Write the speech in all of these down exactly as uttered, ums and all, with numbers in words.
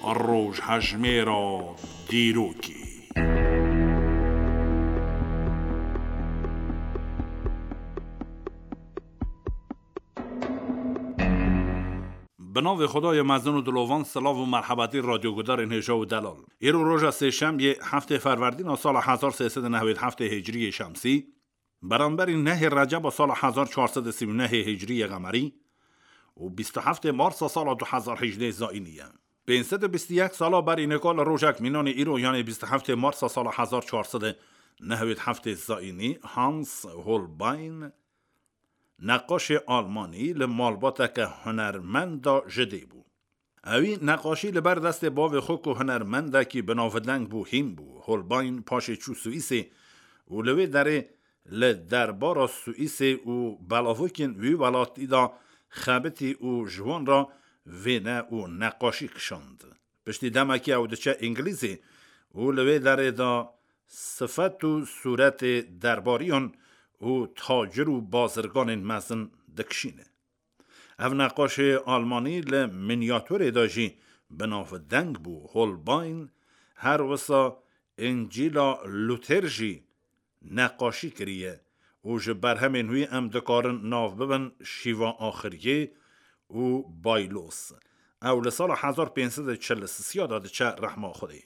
Rojhejmêra dîrokê. Bi navê Xwedayê mezin û dilovan, silav û merhebetî radyogudarên hêja û delal. Îro roja sêşemiyê, heftê Ferwerdîna sala hezar sê sed û newêd heftê Hicriyê Şemsî, beramberî nehê Receba sala hezar çar sed û sî û nehê Hicriyê Qemerî û bîst û heftê Marsa sala du hezar hejdeh Zayînî ye. Pênc sed û bîst û yek sala berî nika li rojek mînanê îro, yanê bîst û heftê Marsa sala hezar çar sed û newêd heftê Zayînî, Hans Holbein, neqaşê Almanî, li malbateke hunermenda ji dê bû. Ewî neqaşî li ber destê bavê xwe ku hunermendekî binavdeng bû, hîn bû. Holbein paşê çû Swîsê û li wê derê li derbara Swîsê û belavokên wî welatî de xebitî û ji wan re wêne û neqaşî kişand. Piştî demekî ew diçe Îngilîzê û li wê derê de sifet û sûretê derbariyan û tacir û bazirganên mezin dikişîne. Ev neqaşê Almanî li miniatûrê de jî binavdeng bû. Holbein her wisa Încîla Luther jî neqaşî kiriye û ji berhemên wî em dikarin nav bibin Şîva Axiriyê û Baylos. Ew li sala hezar pênc sed û çil û sisiya de diçe rehma Xwedê.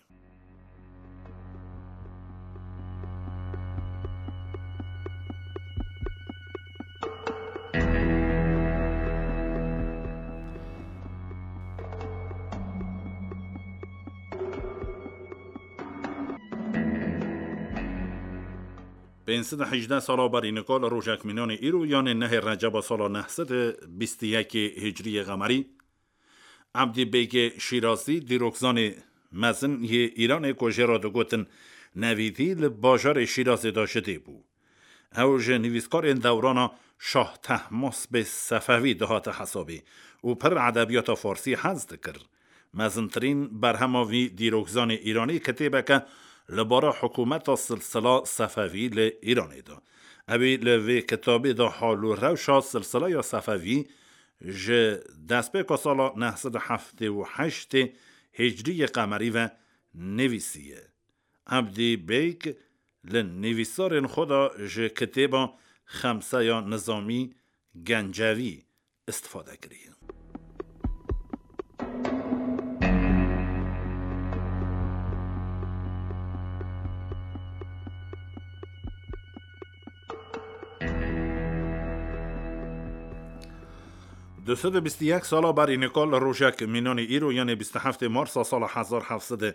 Pênc sed û hejdeh sala berî nika li rojek mînanê îro, yanê nehê Receba sala neh sed û bîst û yekê Hicriyê Qemerî, Ebdî Bêgê Şîrazî, dîrokzanê mezin yê Îranê ku jê re digotin Nevîdî, li bajarê Şîrazê de ji dê bû. Ew ji nivîskarên dewrana Şah Tehmasbê Sefewî dihate hesabê û pir edebiyata farsî hez dikir. Mezintirîn berhema vî dîrokzanê Îranî kitêbeke li bara hikûmeta silsila Sefewî li Îranê de. Ewî li vê kitabê de hal û rewşa silsileya Sefewî ji destpêka sala neh sed û heftê û heştê Hicriyê Qemerî ve nivîsiye. Ebdî Beyk li nivîsarên xwe de ji kitêba Xemseya Nizamî Gencevî istifade kiriye. Du sed û bîst û yek sala berî nika li rojek mînanê îro, yanê bîst û heftê Marsa sala hezar heft sed û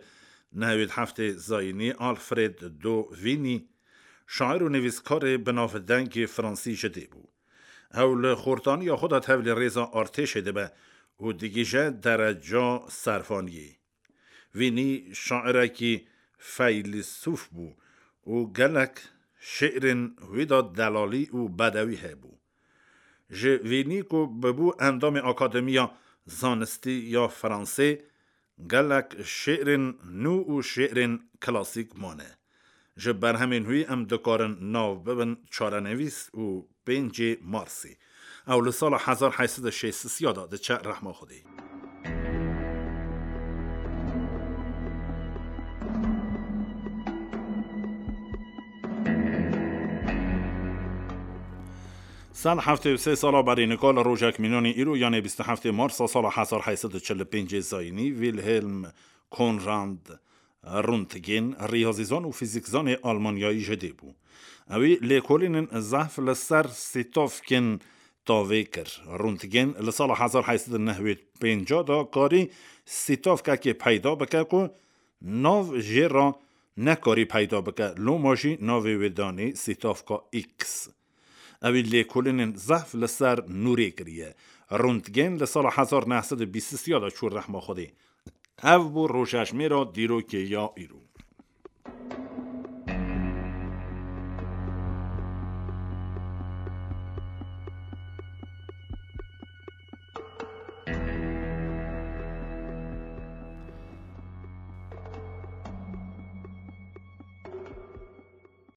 newêd heftê Zayînî, Alfred de Vigny, şair û nivîskarê binavdengê fransî ji dê bû. Ew li xortaniya xwe de tevlî rêza artêşê dibe û digihîje dereca servaniyê. Vigny şairekî feylîsûf bû û gelek şi'rên wî de delalî û bedewî hebû. Ji Vigny ku bibû endamê Akademiya Zanistî ya Fransê, gelek şi'rên nû û şi'rên klasîk mane. Ji berhemên wî em dikarin nav bibin Çarenivîs û Pêncê Marsê. Ew li sala hezar heyt sed û şêst û sê de diçe rehma Xwedê. Sed heftê û sê sala berî nika li rojek mînanê îro, yanê bîst û heftê Marsa sala hezar heyt sed û çil û pêncê Zayînî, Wilhelm Conrad Röntgen, riyazîzan û fîzîkzanê Almanyayî ji dê bû. Ewî lêkolînên zehf li ser sîtovkên tavê kir. Röntgen li sala hezar heyt sed û newêd û pênc de karî sîtovkekê peyda bike ku nav jê re nekarî peyda bike. Loma jî navê wê danî sîtovka X. Ewî lêkolînên zehf li ser nûrê kiriye. Röntgen li sala hezar neh sed û bîst û sê de çû rehma Xwedê. Ev bû rojejmêra dîrokê ya îro.